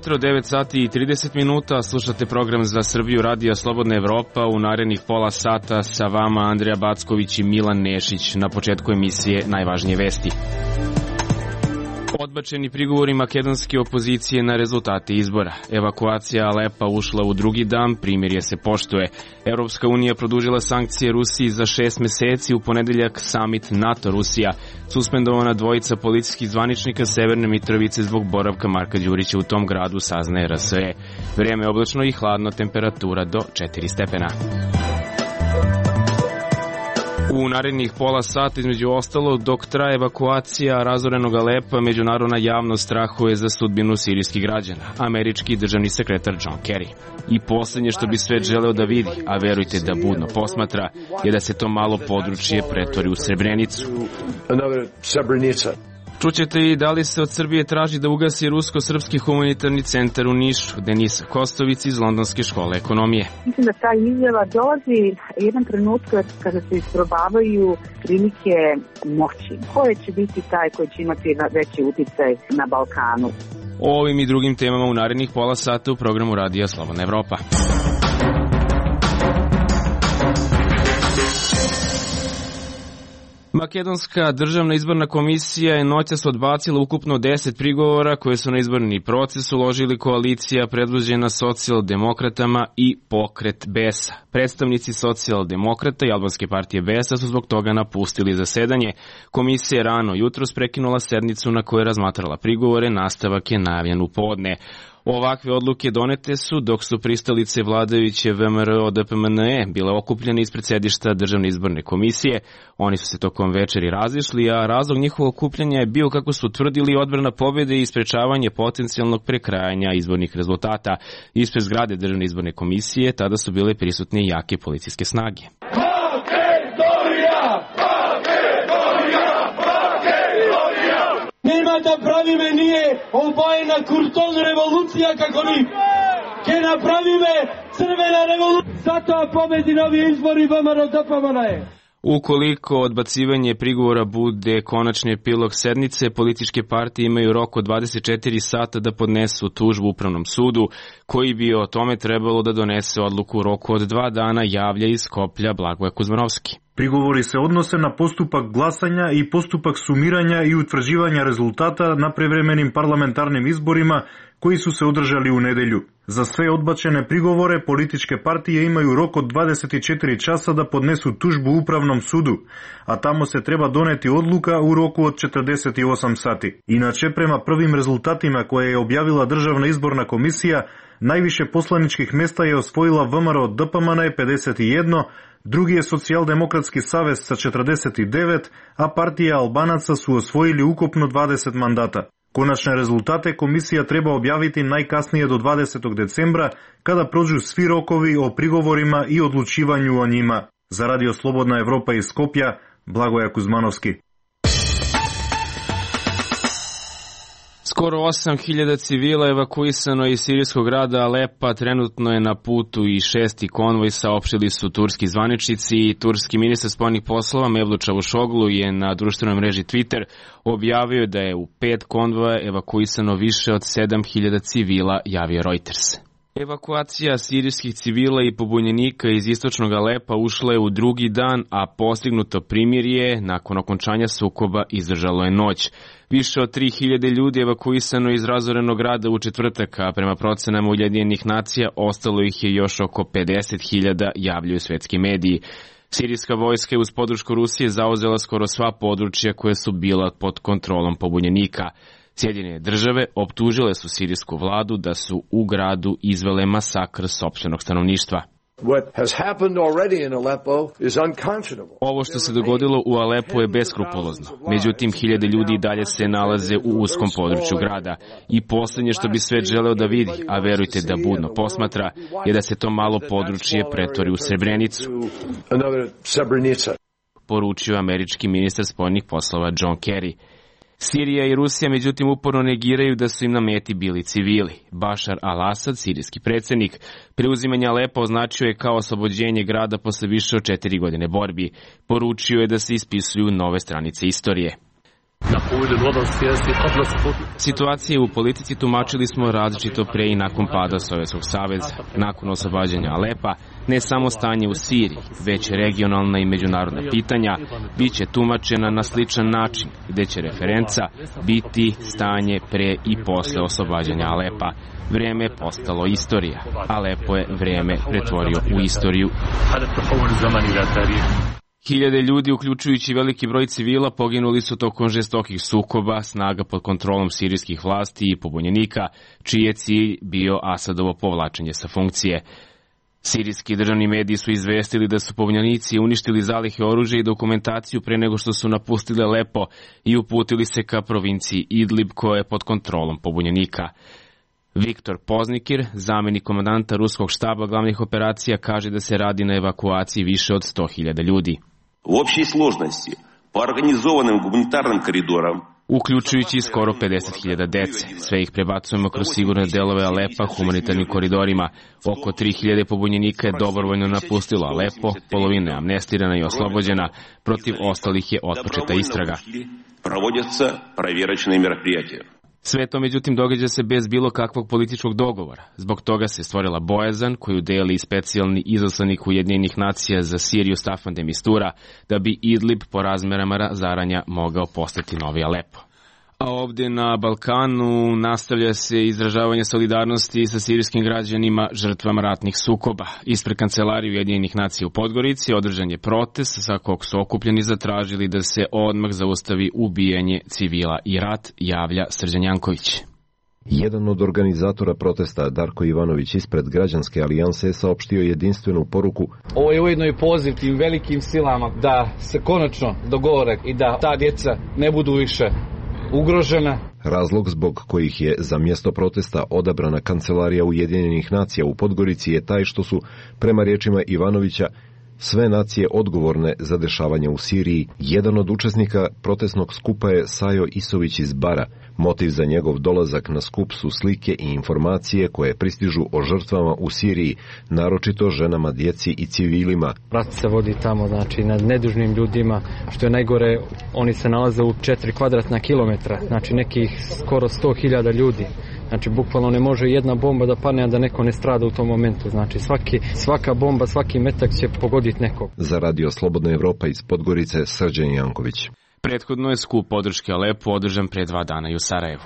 jutro, 9 sati i 30 minuta, slušate program za Srbiju Radija Slobodna Evropa. U narednih pola sata sa vama Andreja Backović i Milan Nešić. Na početku emisije najvažnije vesti. Odbačeni prigovori makedonske opozicije na rezultate izbora. Evakuacija Alepa ušla u drugi dan, primirje se poštuje. Evropska unija produžila sankcije Rusiji za 6 meseci, u ponedeljak samit NATO-Rusija. Suspendovana dvojica policijskih zvaničnika Severne Mitrovice zbog boravka Marka Đurića u tom gradu, saznaje RSE. Vrijeme je oblačno i hladno, temperatura do 4 stepena. U narednih pola sata, između ostalo, dok traje evakuacija razorenog Alepa, međunarodna javnost strahuje za sudbinu sirijskih građana. Američki državni sekretar John Kerry. I posljednje što bi svet želeo da vidi, a verujte da budno posmatra, je da se to malo područje pretvori u Srebrenicu. Čućete i da li se od Srbije traži da ugasi Rusko-srpski humanitarni centar u Nišu. Denisa Kostović iz Londonske škole ekonomije. Mislim da ta izjava dolazi jedan trenutak kada se isprobavaju klinike moći. Koje će biti taj koji će imati veći uticaj na Balkanu? O ovim i drugim temama u narednih pola sata u programu Radija Slobodna Evropa. Makedonska državna izborna komisija je noćas odbacila ukupno 10 prigovora koje su na izborni proces uložili koalicija predvođena socijaldemokratama i Pokret BES-a. Predstavnici socijaldemokrata i albanske partije BES-a su zbog toga napustili zasedanje. Komisija je rano jutros prekinula sednicu na kojoj je razmatrala prigovore, nastavak je najavljen u podne. Ovakve odluke donete su dok su pristalice vladajuće VMRO-DPMNE bile okupljene ispred sedišta Državne izborne komisije. Oni su se tokom večeri razišli, a razlog njihovog okupljanja je bio, kako su tvrdili, odbrana pobjede i sprečavanje potencijalnog prekrajanja izbornih rezultata. Ispred zgrade Državne izborne komisije tada su bile prisutne jake policijske snage. Nema da pravime nije obojena kurton revolucija kako mi. Ke napravime crvena revolucija. Zato pobedi novi izbori VMRO-DPMNE je. Ukoliko odbacivanje prigovora bude konačni epilog sednice, političke partije imaju rok od 24 sata da podnesu tužbu Upravnom sudu, koji bi o tome trebalo da donese odluku u roku od 2 dana, javlja iz Skoplja Blagoje Kuzmanovski. Prigovori se odnose na postupak glasanja i postupak sumiranja i utvrđivanja rezultata na prevremenim parlamentarnim izborima koji su se održali u nedelju. Za sve odbačene prigovore političke partije imaju rok od 24 časa da podnesu tužbu Upravnom sudu, a tamo se treba doneti odluka u roku od 48 sati. Inače, prema prvim rezultatima koje je objavila Državna izborna komisija, najviše poslaničkih mesta je osvojila VMRO-DPMNE 51, drugi je Socijaldemokratski savez sa 49, a partija Albanaca su osvojili ukupno 20 mandata. Konačne rezultate komisija treba objaviti najkasnije do 20. decembra, kada prođu svi rokovi o prigovorima i odlučivanju o njima. Za Radio Slobodna Evropa iz Skopja, Blagoje Kuzmanovski. Skoro 8.000 civila evakuisano iz sirijskog grada Alepa, trenutno je na putu i 6. konvoj, saopštili su turski zvaničnici. Turski ministar spoljnih poslova Mevlut Čavuşoglu je na društvenoj mreži Twitter objavio da je u 5 konvoja evakuisano više od 7.000 civila, javio Reuters. Evakuacija sirijskih civila i pobunjenika iz istočnog Alepa ušla je u drugi dan, a postignuto primirje nakon okončanja sukoba izdržalo je noć. Više od 3.000 ljudi evakuisano iz razorenog grada u četvrtak, a prema procenama Ujedinjenih nacija ostalo ih je još oko 50.000, javljaju svetski mediji. Sirijska vojska je uz podršku Rusije zauzela skoro sva područja koje su bila pod kontrolom pobunjenika. Sjedinjene države optužile su sirijsku vladu da su u gradu izvele masakr sopstvenog stanovništva. Ovo što se dogodilo u Alepu je beskrupulozno. Međutim, hiljade ljudi dalje se nalaze u uskom području grada. I posljednje što bi svet želeo da vidi, a verujte da budno posmatra, je da se to malo područje pretvori u Srebrenicu. Poručio američki ministar spoljnih poslova John Kerry. Sirija i Rusija međutim uporno negiraju da su im na meti bili civili. Bašar al-Asad, sirijski predsjednik, preuzimanje Alepa označio je kao oslobođenje grada posle više od 4 godine borbi. Poručio je da se ispisuju nove stranice istorije. Situacije u politici tumačili smo različito pre i nakon pada Sovjetskog saveza. Nakon oslobađanja Alepa, ne samo stanje u Siriji, već regionalna i međunarodna pitanja biće tumačena na sličan način, gde će referenca biti stanje pre i posle oslobađanja Alepa. Vreme je postalo istorija. Alepo je vreme pretvorio u istoriju. Hiljade ljudi, uključujući veliki broj civila, poginuli su tokom žestokih sukoba snaga pod kontrolom sirijskih vlasti i pobunjenika, čiji je cilj bio Asadovo povlačenje sa funkcije. Sirijski državni mediji su izvestili da su pobunjenici uništili zalihe oružja i dokumentaciju pre nego što su napustili Alepo i uputili se ka provinciji Idlib koja je pod kontrolom pobunjenika. Viktor Poznikir, zamenik komandanta ruskog štaba glavnih operacija, kaže da se radi na evakuaciji više od 100.000 ljudi. U opštoj složnosti, po organizovanim humanitarnim koridorom, uključujući skoro 50.000 dece. Sve ih prebacujemo kroz sigurne delove Alepa humanitarnim koridorima. Oko 3.000 pobunjenika je dobrovoljno napustilo Alepo, polovina je amnestirana i oslobođena, protiv ostalih je otpočeta istraga. Sve to, međutim, događa se bez bilo kakvog političkog dogovora. Zbog toga se stvorila bojazan koju deli specijalni izaslanik Ujedinjenih nacija za Siriju Staffan de Mistura, da bi Idlib po razmerama razaranja mogao postati novi Alepo. A ovdje na Balkanu nastavlja se izražavanje solidarnosti sa sirijskim građanima žrtvama ratnih sukoba. Ispred kancelarije Ujedinjenih nacija u Podgorici održan je protest sa kog su okupljeni zatražili da se odmah zaustavi ubijanje civila i rat, javlja Srđan Janković. Jedan od organizatora protesta, Darko Ivanović, ispred Građanske alijanse, saopštio jedinstvenu poruku. Ovo je ujedno i poziv tim velikim silama da se konačno dogovore i da ta djeca ne budu više ugrožena. Razlog zbog kojih je za mjesto protesta odabrana kancelarija Ujedinjenih nacija u Podgorici je taj što su, prema riječima Ivanovića, sve nacije odgovorne za dešavanje u Siriji. Jedan od učesnika protestnog skupa je Sajo Isović iz Bara. Motiv za njegov dolazak na skup su slike i informacije koje pristižu o žrtvama u Siriji, naročito ženama, djeci i civilima. Rat se vodi tamo, znači nad nedužnim ljudima, što je najgore, oni se nalaze u 4 kvadratna kilometra, znači nekih skoro 100.000 ljudi. Znači, bukvalno ne može jedna bomba da padne, a da neko ne strada u tom momentu. Znači, svaka bomba, svaki metak će pogoditi nekog. Za Radio Slobodna Evropa iz Podgorice, Srđan Janković. Prethodno je skup podrške Alepu održan pre 2 dana i u Sarajevu.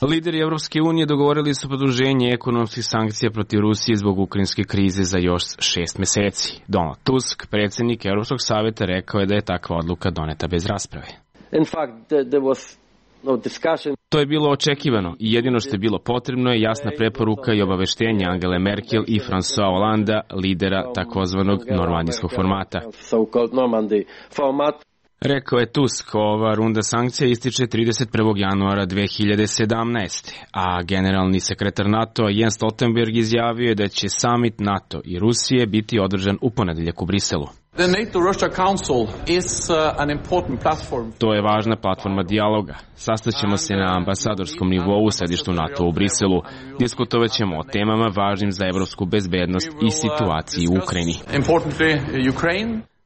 Lideri Evropske unije dogovorili su produženje ekonomskih sankcija protiv Rusije zbog ukrajinske krize za još 6 meseci. Donald Tusk, predsjednik Evropskog savjeta, rekao je da je takva odluka doneta bez rasprave. In fact, there was no discussion. To je bilo očekivano i jedino što je bilo potrebno je jasna preporuka i obaveštenje Angele Merkel i François Hollanda, lidera takozvanog normandijskog formata. Rekao je Tusk, ova runda sankcija ističe 31. januara 2017. A generalni sekretar NATO Jens Stoltenberg izjavio je da će summit NATO i Rusije biti održan u ponedeljak u Briselu. To je važna platforma dijaloga. Sastaćemo se na ambasadorskom nivou u sedištu NATO u Briselu. Diskutovat ćemo o temama važnim za evropsku bezbednost i situaciji u Ukrajini.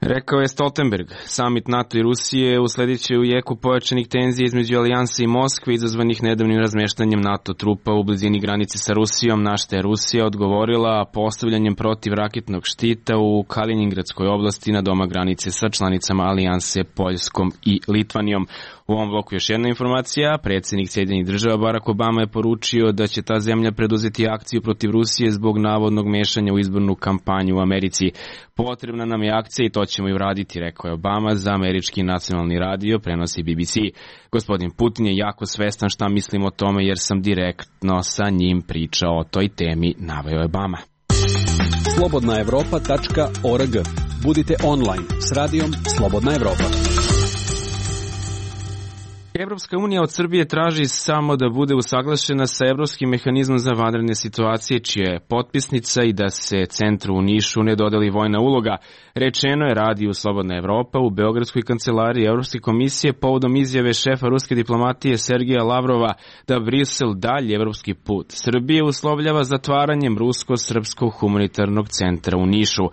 Rekao je Stoltenberg. Summit NATO i Rusije usledit u jeku pojačanih tenzija između Alijanse i Moskve izazvanih nedavnim razmeštanjem NATO trupa u blizini granice sa Rusijom, na što je Rusija odgovorila postavljanjem protivraketnog štita u Kaliningradskoj oblasti na doma granice sa članicama Alijanse Poljskom i Litvanijom. U ovom bloku još jedna informacija. Predsjednik Sjedinjenih Država Barack Obama je poručio da će ta zemlja preduzeti akciju protiv Rusije zbog navodnog mešanja u izbornu kampanju u Americi. Potrebna nam je akcija i to ćemo i uraditi, rekao je Obama za američki nacionalni radio, prenosi BBC. Gospodin Putin je jako svestan šta mislim o tome jer sam direktno sa njim pričao o toj temi, naveo je Obama. Slobodnaevropa.org. Budite online s radijom Slobodna Evropa. Evropska unija od Srbije traži samo da bude usaglašena sa Evropskim mehanizmom za vanredne situacije, čija je potpisnica, i da se centru u Nišu ne dodeli vojna uloga. Rečeno je radiju Slobodna Evropa u Beogradskoj kancelariji Evropske komisije povodom izjave šefa ruske diplomatije Sergeja Lavrova da Brisel dalji evropski put Srbije uslovljava zatvaranjem rusko-srpskog humanitarnog centra u Nišu.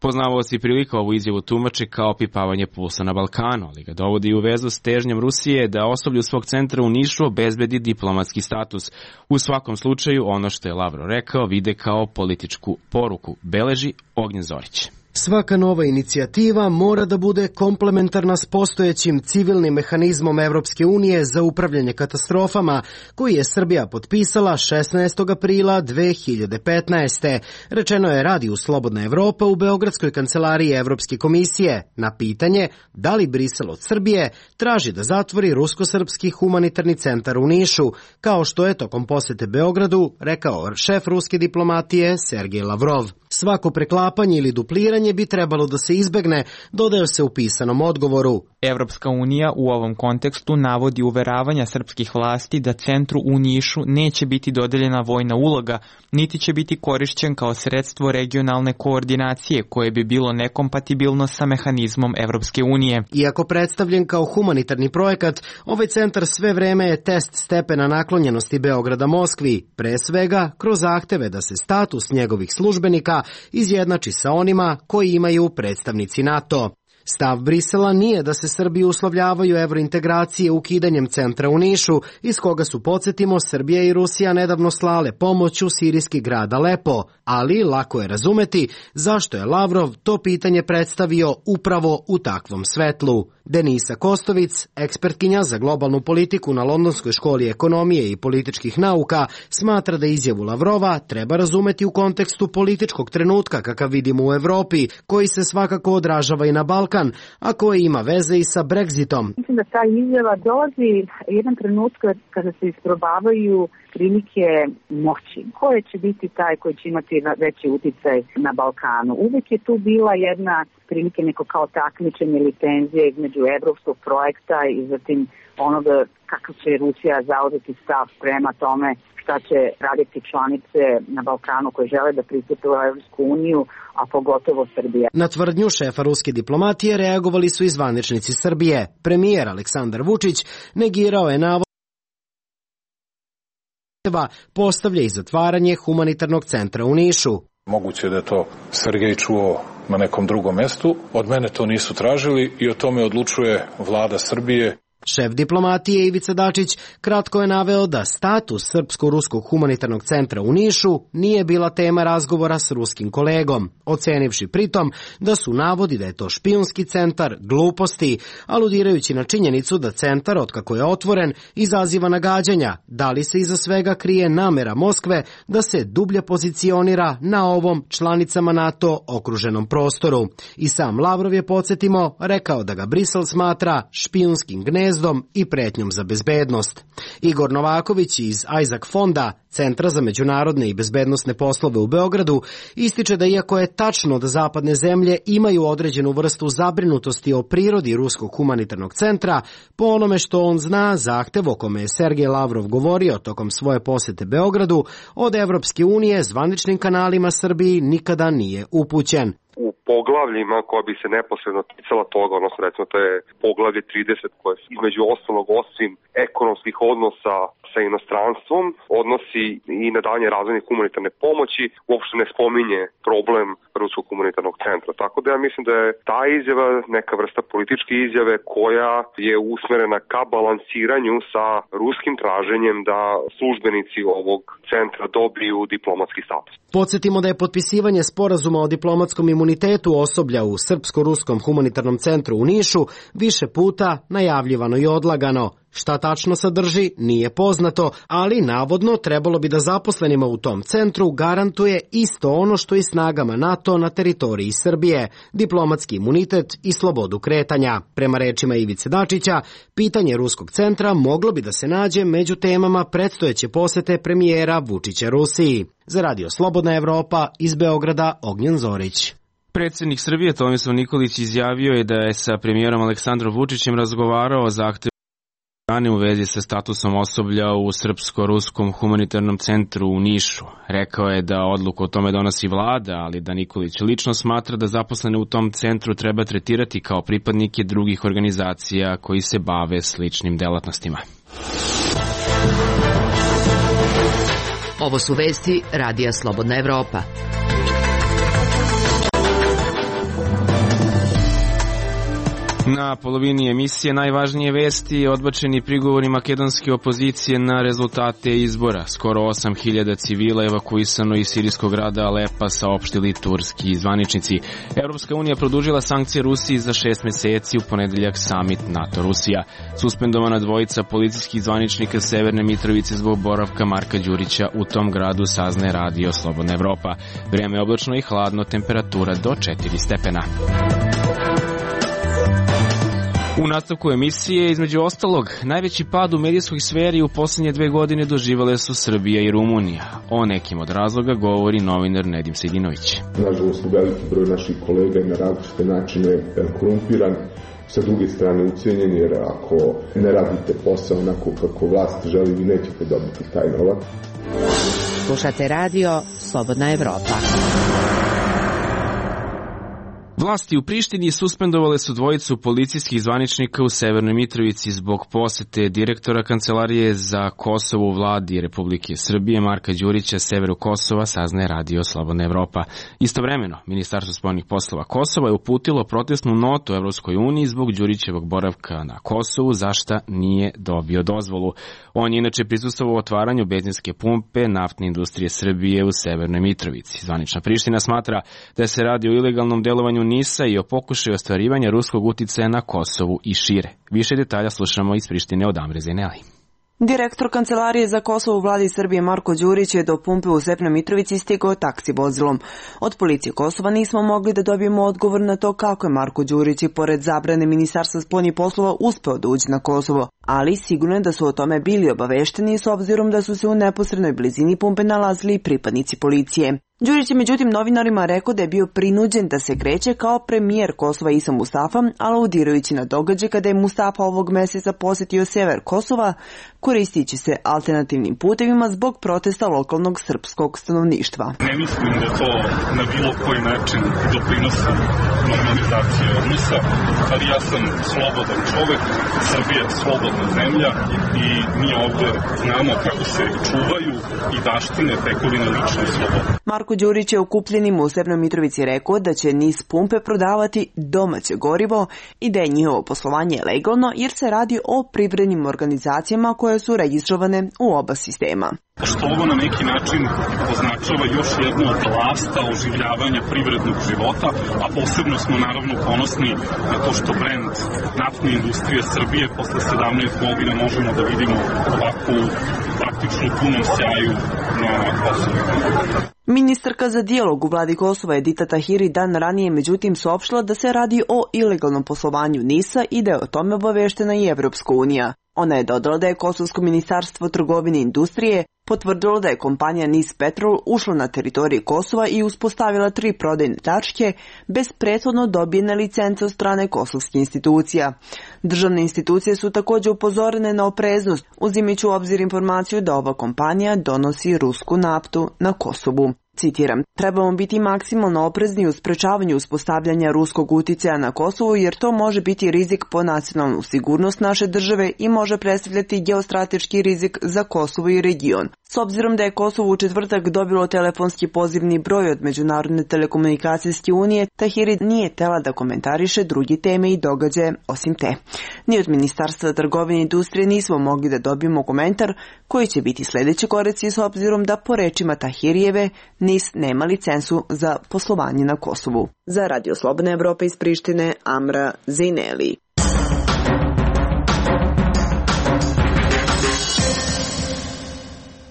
Poznavaoci prilika ovu izjavu tumače kao opipavanje pulsa na Balkanu, ali ga dovodi u vezu s težnjom Rusije da osoblju svog centra u Nišu obezbedi diplomatski status. U svakom slučaju, ono što je Lavrov rekao vide kao političku poruku, beleži Ognjen Zorić. Svaka nova inicijativa mora da bude komplementarna s postojećim civilnim mehanizmom Evropske unije za upravljanje katastrofama, koji je Srbija potpisala 16. aprila 2015. Rečeno je Radiju Slobodna Evropa u Beogradskoj kancelariji Evropske komisije na pitanje da li Brisel od Srbije traži da zatvori rusko-srpski humanitarni centar u Nišu, kao što je tokom posete Beogradu rekao šef ruske diplomatije Sergej Lavrov. Svako preklapanje ili dupliranje bi trebalo da se izbegne, dodaje se u pisanom odgovoru. Evropska unija u ovom kontekstu navodi uveravanja srpskih vlasti da centru u Nišu neće biti dodeljena vojna uloga, niti će biti korišćen kao sredstvo regionalne koordinacije koje bi bilo nekompatibilno sa mehanizmom Evropske unije. Iako predstavljen kao humanitarni projekat, ovaj centar sve vreme je test stepena naklonjenosti Beograda Moskvi, pre svega kroz zahteve da se status njegovih službenika izjednači sa onima koji imaju predstavnici NATO. Stav Brisela nije da se Srbiji uslovljavaju evrointegracije ukidanjem centra u Nišu, iz koga su, podsjetimo, Srbija i Rusija nedavno slale pomoć u sirijski grad Alepo, ali lako je razumeti zašto je Lavrov to pitanje predstavio upravo u takvom svetlu. Denisa Kostovic, ekspertkinja za globalnu politiku na Londonskoj školi ekonomije i političkih nauka, smatra da izjavu Lavrova treba razumeti u kontekstu političkog trenutka kakav vidimo u Evropi, koji se svakako odražava i na Balkan, a koji ima veze i sa Brexitom. Mislim da ta izjava dolazi jedan trenutak kada se isprobavaju prilike moći. Ko će biti taj koji će imati veći uticaj na Balkanu? Uvijek je tu bila jedna prilike neko kao takmičenje ili tenzije između evropskog projekta i zatim onoga kako će Rusija zauzeti stav prema tome šta će raditi članice na Balkanu koje žele da pristupe u Evropsku uniju, a pogotovo Srbija. Na tvrdnju šefa ruske diplomatije reagovali su i zvaničnici Srbije. Premijer Aleksandar Vučić negirao je navod postavlja i zatvaranje humanitarnog centra u Nišu. Moguće da je to Sergej čuo na nekom drugom mestu. Od mene to nisu tražili i o tome odlučuje vlada Srbije. Šef diplomatije Ivica Dačić kratko je naveo da status Srpsko-ruskog humanitarnog centra u Nišu nije bila tema razgovora s ruskim kolegom, ocenivši pritom da su navodi da je to špijunski centar gluposti, aludirajući na činjenicu da centar, otkako je otvoren, izaziva nagađanja, da li se iza svega krije namera Moskve da se dublje pozicionira na ovom članicama NATO okruženom prostoru. I sam Lavrov je, podsjetimo, rekao da ga Brisel smatra špijunskim gnezdom i pretnjom za bezbednost. Igor Novaković iz Isaac fonda, Centra za međunarodne i bezbednosne poslove u Beogradu, ističe da iako je tačno da zapadne zemlje imaju određenu vrstu zabrinutosti o prirodi ruskog humanitarnog centra, po onome što on zna, zahtev o kome je Sergej Lavrov govorio tokom svoje posete Beogradu, od Evropske unije zvaničnim kanalima Srbiji nikada nije upućen. U poglavljima koja bi se neposredno ticala toga, odnosno recimo to je poglavlje 30 koje između ostalog osim ekonomskih odnosa sa inostranstvom odnosi i na dalje razvojne humanitarne pomoći, uopšte ne spominje problem ruskog humanitarnog centra. Tako da ja mislim da je ta izjava neka vrsta političke izjave koja je usmerena ka balansiranju sa ruskim traženjem da službenici ovog centra dobiju diplomatski status. Podsjetimo da je potpisivanje sporazuma o diplomatskom imunitetu osoblja u Srpsko-ruskom humanitarnom centru u Nišu više puta najavljivano i odlagano. Šta tačno sadrži, nije poznato, ali navodno trebalo bi da zaposlenima u tom centru garantuje isto ono što i snagama NATO na teritoriji Srbije, diplomatski imunitet i slobodu kretanja. Prema rečima Ivice Dačića, pitanje ruskog centra moglo bi da se nađe među temama predstojeće posete premijera Vučića Rusiji. Za Radio Slobodna Evropa, iz Beograda, Ognjen Zorić. Predsjednik Srbije Tomislav Nikolić izjavio je da je sa premijerom Aleksandrom Vučićem razgovarao o zahtevu u vezi sa statusom osoblja u Srpsko-ruskom humanitarnom centru u Nišu. Rekao je da odluku o tome donosi vlada, ali da Nikolić lično smatra da zaposlene u tom centru treba tretirati kao pripadnike drugih organizacija koji se bave sličnim delatnostima. Ovo su vesti Radija Slobodna Evropa. Na polovini emisije najvažnije vesti, odbačeni prigovori makedonske opozicije na rezultate izbora. Skoro 8.000 civila evakuisano iz sirijskog grada Alepa, saopštili turski zvaničnici. Evropska unija produžila sankcije Rusiji za 6 meseci, u ponedeljak samit NATO-Rusija. Suspendovana dvojica policijskih zvaničnika Severne Mitrovice zbog boravka Marka Đurića u tom gradu, saznaje Radio Slobodna Evropa. Vreme je oblačno i hladno, temperatura do 4 stepena. U nastavku emisije, između ostalog, najveći pad u medijskoj sferi u poslednje 2 godine doživale su Srbija i Rumunija. O nekim od razloga govori novinar Nedim Sejdinović. Nažalost, veliki broj naših kolega je na različite načine korumpiran, sa druge strane ucijenjeni, jer ako ne radite posao onako kako vlast želi, vi nećete dobiti taj novac. Slušate radio Slobodna Evropa. Vlasti u Prištini suspendovale su dvojicu policijskih zvaničnika u Severnoj Mitrovici zbog posete direktora Kancelarije za Kosovo u vladi Republike Srbije Marka Đurića severu Kosova, saznaje Radio Slobodna Evropa. Istovremeno, Ministarstvo spoljnih poslova Kosova je uputilo protestnu notu Evropskoj uniji zbog Đurićevog boravka na Kosovu, za šta nije dobio dozvolu. On je inače prisustvovao otvaranju benzinske pumpe naftne industrije Srbije u Severnoj Mitrovici. Zvanična Priština smatra da se radi o ilegalnom delovanju NIS-a i o pokušaju ostvarivanja ruskog uticaja na Kosovu i šire. Više detalja slušamo iz Prištine od Amre Zeneli. Direktor Kancelarije za Kosovo u vladi Srbije Marko Đurić je do pumpe u Severnoj Mitrovici stigao taksi vozilom. Od policije Kosova nismo mogli da dobijemo odgovor na to kako je Marko Đurić i pored zabrane Ministarstva spoljnih poslova uspeo da uđe na Kosovo, ali sigurno je da su o tome bili obavešteni s obzirom da su se u neposrednoj blizini pumpe nalazili pripadnici policije. Đurić je međutim novinarima rekao da je bio prinuđen da se kreće kao premijer Kosova Isa Mustafa, aludirajući na događaj kada je Mustafa ovog meseca posetio sever Kosova, koristići se alternativnim putevima zbog protesta lokalnog srpskog stanovništva. Ne mislim da to na bilo koji način doprinosi normalizaciji odnosa, ali ja sam slobodan čovek, Srbija je slobodna zemlja i mi ovde znamo kako se čuvaju i baštine tekovine lične slobode. Marko Đurić je okupljenim u Severnoj Mitrovici rekao da će NIS pumpe prodavati domaće gorivo i da je njihovo poslovanje legalno jer se radi o privrednim organizacijama koje su registrovane u oba sistema. Što ovo na neki način označava još jednu od lasta oživljavanja privrednog života, a posebno smo naravno ponosni na to što brend naftne industrije Srbije posle 17 godina možemo da vidimo ovako praktično punom sjaju na Kosovu. Ministarka za dijalog u vladi Kosova Edita Tahiri dan ranije međutim saopštila da se radi o ilegalnom poslovanju NIS-a i da je o tome obaveštena i Evropska unija. Ona je dodala da je Kosovsko ministarstvo trgovine i industrije potvrdilo da je kompanija NIS Petrol ušla na teritoriju Kosova i uspostavila 3 prodajne tačke bez prethodno dobijene licence od strane kosovskih institucija. Državne institucije su također upozorene na opreznost, uzimajući u obzir informaciju da ova kompanija donosi rusku naftu na Kosovu. Citiram, trebamo biti maksimalno oprezni u sprečavanju uspostavljanja ruskog uticaja na Kosovu jer to može biti rizik po nacionalnu sigurnost naše države i može predstavljati geostrateški rizik za Kosovo i region. S obzirom da je Kosovo u četvrtak dobilo telefonski pozivni broj od Međunarodne telekomunikacijske unije, Tahiri nije htela da komentariše drugi teme i događaje osim te. Ni od Ministarstva trgovine i industrije nismo mogli da dobijemo komentar koji će biti sledeći koraci s obzirom da po rečima Tahirijeve NIS nema licencu za poslovanje na Kosovu. Za Radio Slobodna Evropa iz Prištine, Amra Zeneli.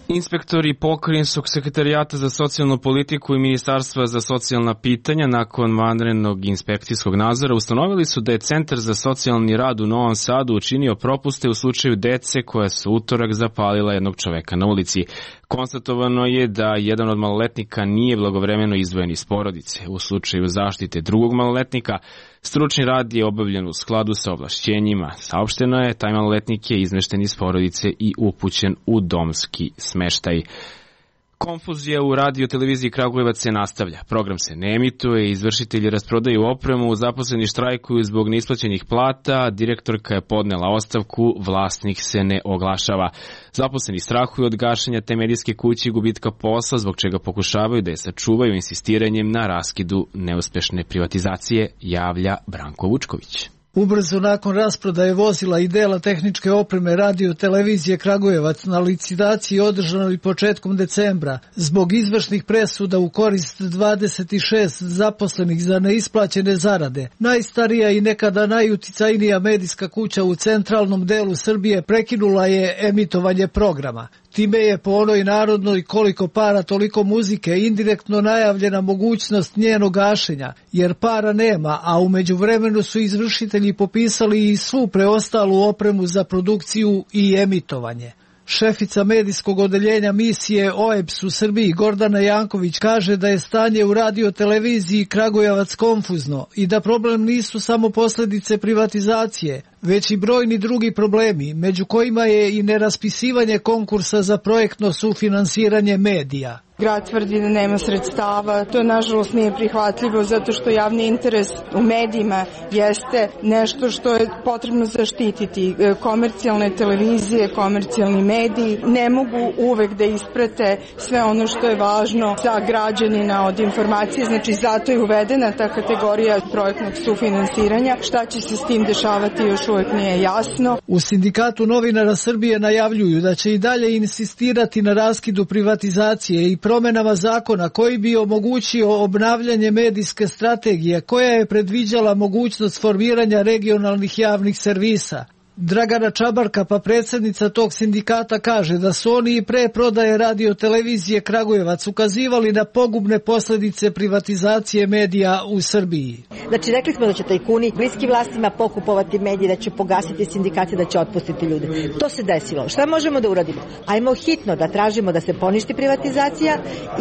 Inspektori Pokrajinskog sekretarijata za socijalnu politiku i Ministarstva za socijalna pitanja nakon vanrednog inspekcijskog nadzora ustanovili su da je Centar za socijalni rad u Novom Sadu učinio propuste u slučaju dece koja su utorak zapalila jednog čoveka na ulici. Konstatovano je da jedan od maloletnika nije blagovremeno izdvojen iz porodice. U slučaju zaštite drugog maloletnika, stručni rad je obavljen u skladu sa ovlašćenjima. Saopšteno je, taj maloletnik je izmešten iz porodice i upućen u domski smeštaj. Konfuzija u radio televiziji Kragujevac se nastavlja. Program se ne emituje, izvršitelji rasprodaju opremu, zaposleni štrajkuju zbog neisplaćenih plata, direktorka je podnela ostavku, vlasnik se ne oglašava. Zaposleni strahuju od gašenja te medijske kuće i gubitka posla, zbog čega pokušavaju da je sačuvaju insistiranjem na raskidu neuspešne privatizacije, javlja Branko Vučković. Ubrzo nakon rasprodaje vozila i dela tehničke opreme Radio televizije Kragujevac na licitaciji održanoj početkom decembra, zbog izvršnih presuda u korist 26 zaposlenih za neisplaćene zarade, najstarija i nekada najuticajnija medijska kuća u centralnom delu Srbije prekinula je emitovanje programa. Time je po onoj narodnoj koliko para toliko muzike indirektno najavljena mogućnost njenog gašenja, jer para nema, a u međuvremenu su izvršitelji popisali i svu preostalu opremu za produkciju i emitovanje. Šefica medijskog odeljenja misije OEBS u Srbiji Gordana Janković kaže da je stanje u radio televiziji Kragujevac konfuzno i da problem nisu samo posljedice privatizacije, već i brojni drugi problemi, među kojima je i neraspisivanje konkursa za projektno sufinansiranje medija. Grad tvrdi da nema sredstava, to nažalost nije prihvatljivo zato što javni interes u medijima jeste nešto što je potrebno zaštititi. Komercijalne televizije, komercijalni mediji ne mogu uvek da isprate sve ono što je važno za građanina od informacije, znači zato je uvedena ta kategorija projektnog sufinansiranja. Šta će se s tim dešavati još uvek nije jasno. U Sindikatu novinara Srbije najavljuju da će i dalje insistirati na raskidu privatizacije i promenama zakona koji bi omogućio obnavljanje medijske strategije koja je predviđala mogućnost formiranja regionalnih javnih servisa. Dragana Čabarka, pa predsjednica tog sindikata, kaže da su oni i pre prodaje radio televizije Kragujevac ukazivali na pogubne posljedice privatizacije medija u Srbiji. Znači, rekli smo da će tajkuni bliski vlastima pokupovati medije, da će pogasiti sindikate, da će otpustiti ljude. To se desilo. Šta možemo da uradimo? Ajmo hitno da tražimo da se poništi privatizacija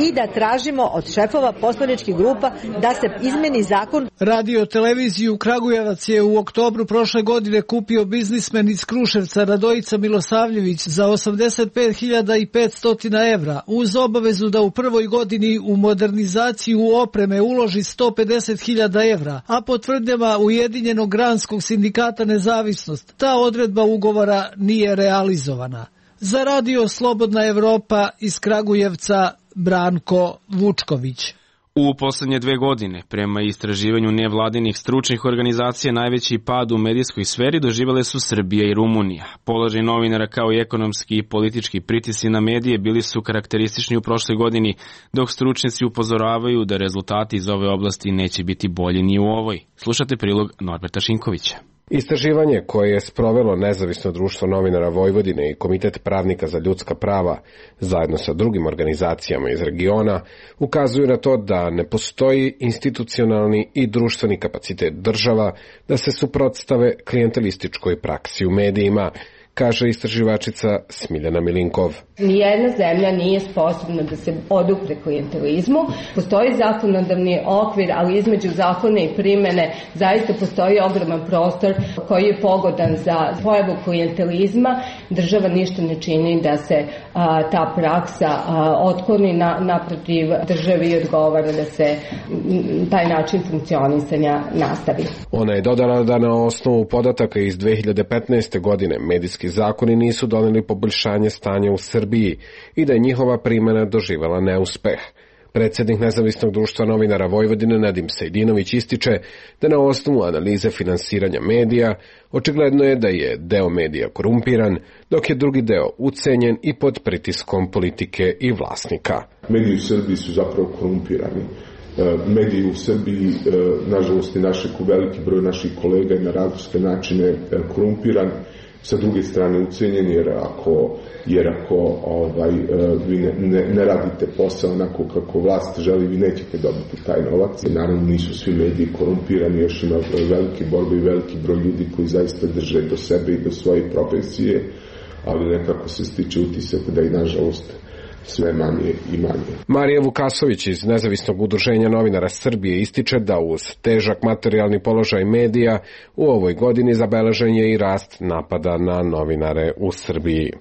i da tražimo od šefova poslaničkih grupa da se izmeni zakon. Radio televiziju Kragujevac je u oktobru prošle godine kupio biznismen iz Kruševca Radojica Milosavljević za 85.500 evra uz obavezu da u prvoj godini u modernizaciju opreme uloži 150.000 evra, a po tvrdnjama Ujedinjenog granskog sindikata Nezavisnost ta odredba ugovora nije realizovana. Za Radio Slobodna Evropa iz Kragujevca Branko Vučković. U poslednje 2 godine, prema istraživanju nevladinih stručnih organizacija, najveći pad u medijskoj sferi doživele su Srbija i Rumunija. Položaj novinara kao i ekonomski i politički pritisci na medije bili su karakteristični u prošloj godini, dok stručnjaci upozoravaju da rezultati iz ove oblasti neće biti bolji ni u ovoj. Slušate prilog Norberta Šinkovića. Istraživanje koje je sprovelo Nezavisno društvo novinara Vojvodine i Komitet pravnika za ljudska prava zajedno sa drugim organizacijama iz regiona ukazuju na to da ne postoji institucionalni i društveni kapacitet država da se suprotstave klijentelističkoj praksi u medijima, kaže istraživačica Smiljana Milinkov. Nijedna zemlja nije sposobna da se odupre klijentelizmu. Postoji zakonodavni okvir, ali između zakona i primene zaista postoji ogroman prostor koji je pogodan za pojavu klijentelizma. Država ništa ne čini da se ta praksa otkloni, naprotiv državi odgovara da se taj način funkcionisanja nastavi. Ona je dodala da na osnovu podataka iz 2015. godine medijski zakoni nisu doneli poboljšanje stanja u Srbiji i da je njihova primjena doživela neuspeh. Predsjednik Nezavisnog društva novinara Vojvodine Nadim Sejdinović ističe da na osnovu analize finansiranja medija očigledno je da je deo medija korumpiran, dok je drugi deo ucenjen i pod pritiskom politike i vlasnika. Mediji u Srbiji su zapravo korumpirani. Mediji u Srbiji, nažalost i veliki broj naših kolega je na različite načine korumpiran. Sa druge strane ucenjen, jer ako vi ne radite posao onako kako vlast želi, vi nećete dobiti taj novac. I naravno nisu svi mediji korumpirani, još ima velike borbe i veliki broj ljudi koji zaista drže do sebe i do svoje profesije, ali nekako se stiče utisak da i nažalost sve manje i manje. Marija Vukasović iz Nezavisnog udruženja novinara Srbije ističe da uz težak materijalni položaj medija u ovoj godini zabeležen je i rast napada na novinare u Srbiji.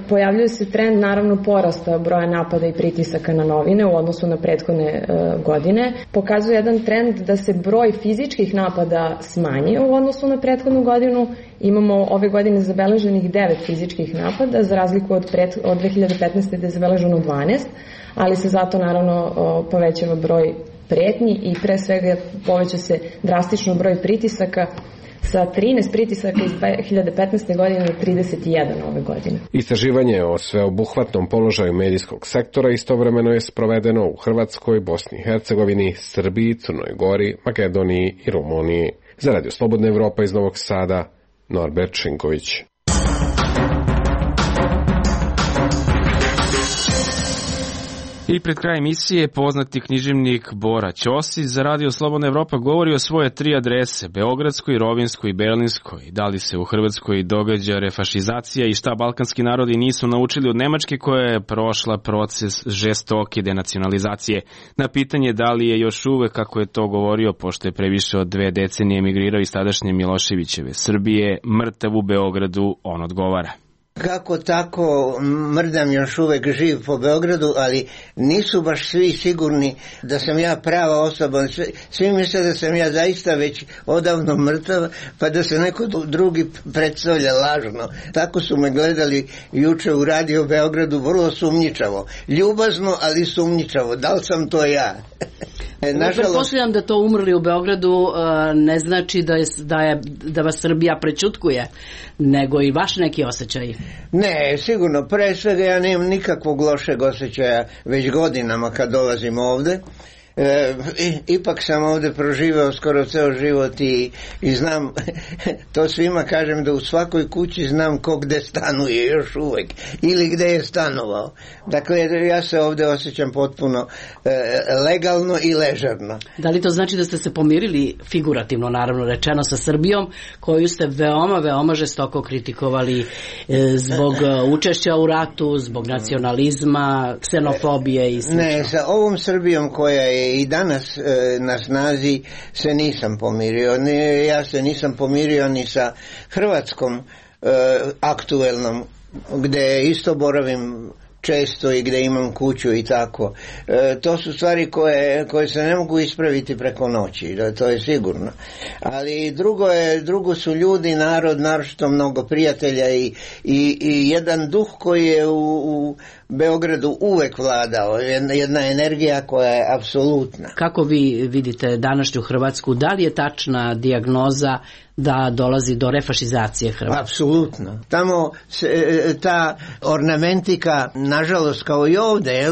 Pojavljuje se trend naravno porasta broja napada i pritisaka na novine u odnosu na prethodne godine. Pokazuje jedan trend da se broj fizičkih napada smanjio u odnosu na prethodnu godinu. Imamo ove godine zabeleženih 9 fizičkih napada, za razliku od 2015. da je zabeleženo 12, ali se zato naravno povećava broj pretnji i pre svega poveća se drastično broj pritisaka sa 13 pritisaka iz 2015. godine na 31 ove godine. Istraživanje o sveobuhvatnom položaju medijskog sektora istovremeno je sprovedeno u Hrvatskoj, Bosni i Hercegovini, Srbiji, Crnoj Gori, Makedoniji i Rumuniji. Za Radio Slobodna Evropa iz Novog Sada, Norbert Šinković. I pred kraj emisije poznati književnik Bora Ćosić za Radio Slobodna Evropa govori o svoje 3 adrese, Beogradskoj, Rovinjskoj i Berlinskoj. Da li se u Hrvatskoj događa refašizacija i šta balkanski narodi nisu naučili od Nemačke koja je prošla proces žestoke denacionalizacije. Na pitanje da li je još uvek, kako je to govorio, pošto je previše od 2 decenije emigrirao iz tadašnje Miloševićeve Srbije, mrtav u Beogradu, on odgovara. Kako tako, mrdam još uvek živ po Beogradu, ali nisu baš svi sigurni da sam ja prava osoba. Svi misle da sam ja zaista već odavno mrtav, pa da se neko drugi predstavlja lažno. Tako su me gledali juče u Radio Beogradu, vrlo sumnjičavo. Ljubazno, ali sumnjičavo. Da li sam to ja? Pretpostavljam da to umrli u Beogradu ne znači da vas Srbija prećutkuje, nego i vaš neki osjećaj. Ne, sigurno. Pre svega ja nemam nikakvog lošeg osjećaja već godinama kad dolazim ovde. Ipak sam ovde proživao skoro ceo život i znam, to svima kažem da u svakoj kući znam ko gde stanuje još uvek ili gde je stanovao. Dakle, ja se ovde osjećam potpuno legalno i ležerno. Da li to znači da ste se pomirili, figurativno naravno rečeno, sa Srbijom, koju ste veoma žestoko kritikovali zbog učešća u ratu, zbog nacionalizma, ksenofobije i sl. Ne, sa ovom Srbijom koja je i danas na snazi se nisam pomirio. Ja se nisam pomirio ni sa Hrvatskom aktuelnom, gde isto boravim često i gde imam kuću i tako. To su stvari koje se ne mogu ispraviti preko noći, to je sigurno. Ali drugo su ljudi, narod, naročito mnogo prijatelja i jedan duh koji je u Beogradu uvek vladao, jedna energija koja je apsolutna. Kako vi vidite današnju Hrvatsku? Da li je tačna dijagnoza da dolazi do refašizacije Hrvatske? Apsolutno. Tamo ta ornamentika, nažalost kao i ovde,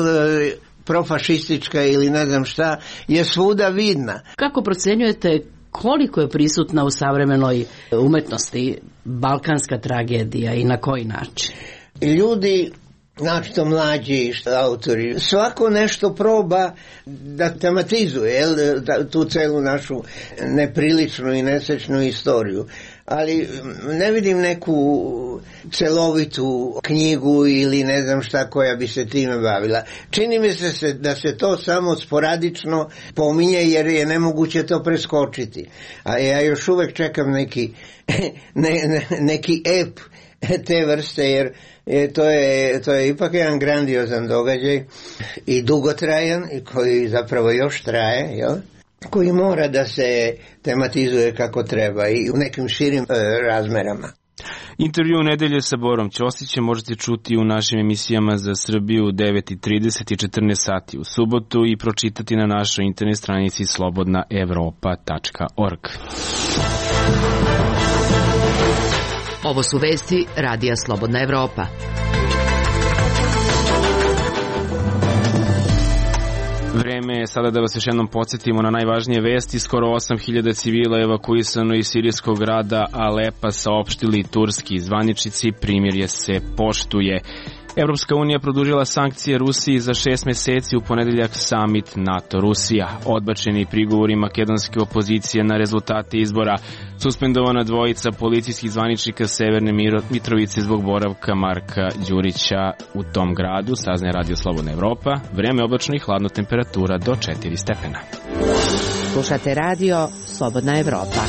profašistička ili ne znam šta, je svuda vidna. Kako procenjujete koliko je prisutna u savremenoj umetnosti balkanska tragedija i na koji način? Ljudi, našto mlađi autori, svako nešto proba da tematizuje tu celu našu nepriličnu i nesrećnu istoriju. Ali ne vidim neku celovitu knjigu ili ne znam šta koja bi se time bavila. Čini mi se da se to samo sporadično pominje jer je nemoguće to preskočiti. A ja još uvek čekam neki ep te vrste jer to je ipak jedan grandiozan događaj i dugotrajan i koji zapravo još traje, jel? Koji mora da se tematizuje kako treba i u nekim širim razmerama. Intervju nedelje sa Borom Ćosićem možete čuti u našim emisijama za Srbiju 9:30 i 14 sati u subotu i pročitati na našoj internet stranici slobodnaevropa.org. Ovo su vesti Radija Slobodna Evropa. Vreme je sada da vas još jednom podsjetimo na najvažnije vesti. Skoro 8.000 civila je evakuisano iz sirijskog grada Alepa, saopštili turski zvaničnici, primirje se poštuje. Evropska unija produžila sankcije Rusiji za 6 meseci, u ponedeljak samit NATO-Rusija. Odbačeni prigovori makedonske opozicije na rezultate izbora. Suspendovana dvojica policijskih zvaničnika Severne Mitrovice zbog boravka Marka Đurića u tom gradu, saznaje Radio Slobodna Evropa. Vreme oblačno i hladno, temperatura do 4 stepena. Slušate Radio Slobodna Evropa.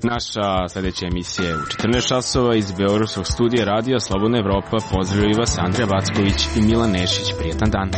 Naša sljedeća emisija je u 14 časova iz Beogradskog studija Radija Slobodna Evropa. Pozdravljaju vas Andrija Vacković i Milan Nešić. Prijetan dan.